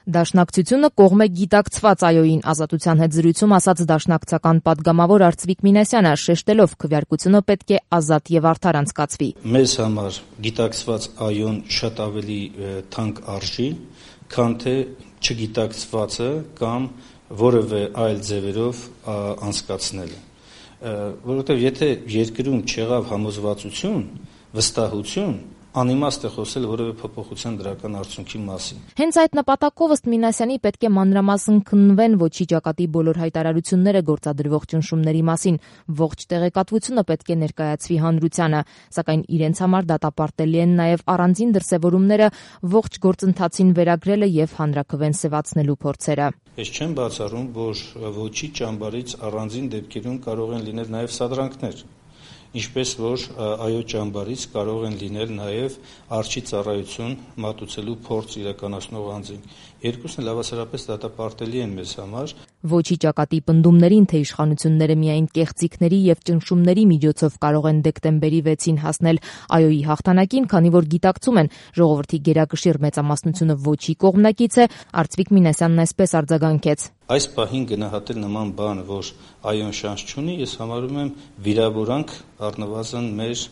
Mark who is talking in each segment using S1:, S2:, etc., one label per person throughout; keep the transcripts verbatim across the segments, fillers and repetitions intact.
S1: Դաշնակցությունը կողմ է գիտակցված այոյին, Ազատության հետ զրույցում ասաց դաշնակցական պատգամավոր Արծվիկ Մինասյանը, շեշտելով քվեարկությունը պետք է ազատ եւ արդար անցկացվի։
S2: Մեզ համար գիտակցված այոն շատ ավելի թանկ արժի, քան թե չգիտակցվածը կամ որևէ այլ ձևերով անցկացնելը, որովհետեւ եթե երկրում չեղավ համոզվածություն, վստահություն, անիմաստ է խոսել որևէ փոփոխության դրական արդյունքի մասին։
S1: Հենց այդ նպատակով ըստ Մինասյանի պետք է մանրամասն քննվեն ոչի ճակատի բոլոր հայտարարությունները գործադրվող ճնշումների մասին, ողջ տեղեկատվությունը պետք է ներկայացվի հանրությանը, սակայն իրենց համար դատապարտելի են նաև առանձին դրսևորումները, ողջ գործընթացին վերագրելը եւ հանրաքվեն սեւացնելու փորձերը։
S2: Ես չեմ բացառում, որ ոչի ճամբարից առանձին դեպքերում կարող են լինել նաև սադրանքներ, ինչպես որ այո ճամբարից կարող են լինել նաև արջի ծառայություն մատուցելու փորձ իրականացնող անձինք։ Երկուսն էլ հավասարապես դատապարտելի են մեզ համար։
S1: Ոչի ճակատի պնդումներին, թե իշխանությունները միայն կեղծիքների եւ ճնշումների միջոցով կարող են դեկտեմբերի վեցին հասնել այոյի հաղթանակին, քանի որ գիտակցում են ժողովրդի գերակշիռ մեծամասնությունը ոչի կողմնակից է, Արծվիկ Մինասյանն այսպես արձագանքեց.
S2: Այս պահին գնահատել նման բան, որ այոն շանս չունի, ես համարում եմ վիրավորանք առնվազն մեր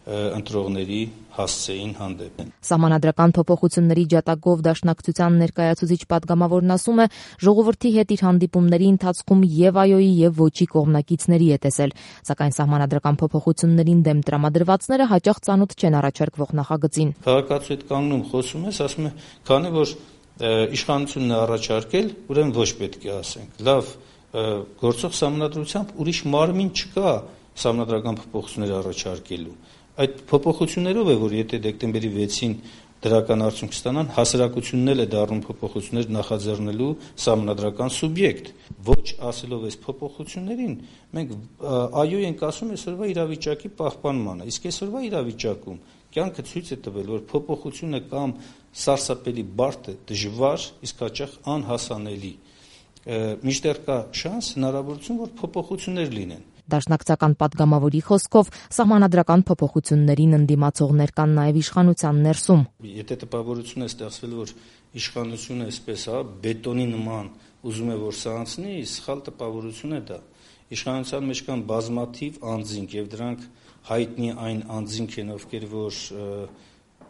S2: ընտրողների հասցեին հանդեպ։
S1: Սահմանադրական փոփոխությունների ջատագով դաշնակցության ներկայացուցիչ պատգամավորն ասում է, ժողովրդի հետ իր հանդիպումների ընթացքում եւ այոյի եւ ոչի կողմնակիցների է տեսել, սակայն սահմանադրական փոփոխություններին դեմ տրամադրվածները հաճախ ծանոթ չեն առաջարկվող նախագծին։
S2: Քաղաքացու հետ կանգնում խոսում ես, ասում է, քանի որ իշխանությունն է առաջարկել, ուրեմն ոչ պետք է ասենք։ Լավ, գործող սահմանադրությամբ ուրիշ մարմին չկա սահմանադրական փոփոխություններ առաջարկելու։ Այդ փոփոխություններով է, որ եթե դեկտեմբերի վեցին դրական արդյունք ստանան, հասարակությունն էլ է դառնում փոփոխություններ նախաձեռնելու սահմանադրական սուբյեկտ։ Ոչ ասելով այս փոփոխություններին, մենք այո ենք ասում այսօրվա իրավիճակի պահպանմանը, իսկ այսօրվա իրավիճակում կյանքը ցույց է տվել, որ փոփոխությունը կամ սարսափելի բարդ է, դժվար, իսկ հաճախ անհասանելի։ Մինչդեռ կա շանս, հնարավորություն, որ փոփոխություններ լինեն։
S1: Դաշնակցական պատգամավորի խոսքով սահմանադրական փոփոխություններին ընդդիմացողներ կան նաև իշխանության ներսում։
S2: Եթե տպավորություն է ստեղծվել, որ իշխանությունը այսպես հա բետոնի նման ուզում է որ սա անցնի, սխալ տպավորություն է դա։ Իշխանության մեջ կան բազմաթիվ անձինք եւ դրանք հայտնի այն անձինք են, ովքեր որ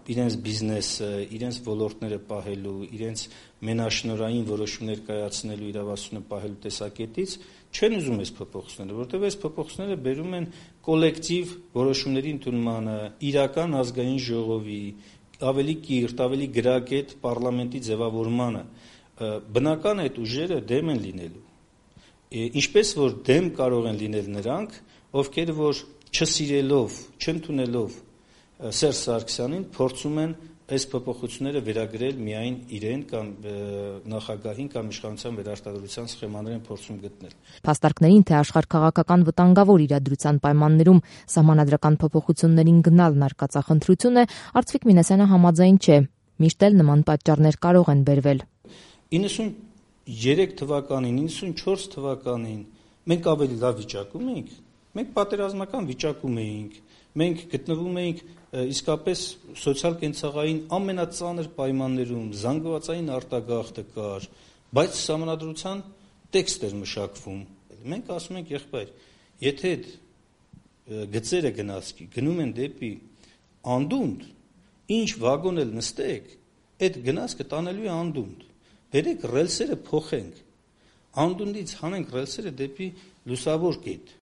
S2: իրենց բիզնեսը, իրենց ոլորտները պահելու, իրենց մենաշնորհային որոշումներ կայացնելու իրավասությունը պահելու տեսակետից չեն ուզում այս փոփոխությունները, որովհետև այս փոփոխությունները բերում են կոլեկտիվ որոշումների ընդունմանը, իրական ազգային ժողովի, ավելի կիրթ, ավելի գրագետ պարլամենտի ձևավորմանը։ Բնական է այդ ուժերը դեմ են լինելու։ Ինչպես որ դեմ կարող են լինել նրանք, ովքեր որ չսիրելով, չընդունելով Սերժ Սարգսյանին փորձում են այս փոփոխությունները վերագրել միայն իրեն կամ նախագահին կամ իշխանության վերարտադրության սխեմաներ են փորձում գտնել։
S1: Փաստարկներին, թե աշխարհ-քաղաքական վտանգավոր իրադրության պայմաններում սահմանադրական փոփոխություններին գնալն արկածախնդրություն է, Արծվիկ Մինասյանը համաձայն չէ։ Միշտ էլ նման պատճառներ կարող են բերվել։
S2: իննսուններեք թվականին, իննսունչորս թվականին մենք ավելի լավ վիճակում էինք, մենք պատերազմական վիճակում էինք, մենք գտնվում էինք իսկապես սոցիալ-կենցաղային ամենածանր պայմաններում, զանգվածային արտագաղթը կար, բայց սահմանադրության տեքստ էր մշակվում։ Մենք ասում ենք, եղբայր, եթե գծերը գնացքի գնում են դեպի անդունդ, ինչ վագոն էլ նստեք, այդ գնացքը տանելու է անդունդ։ Բերեք ռելսերը փոխենք, անդունդից հանենք ռելսերը դեպի լուսավոր կետ։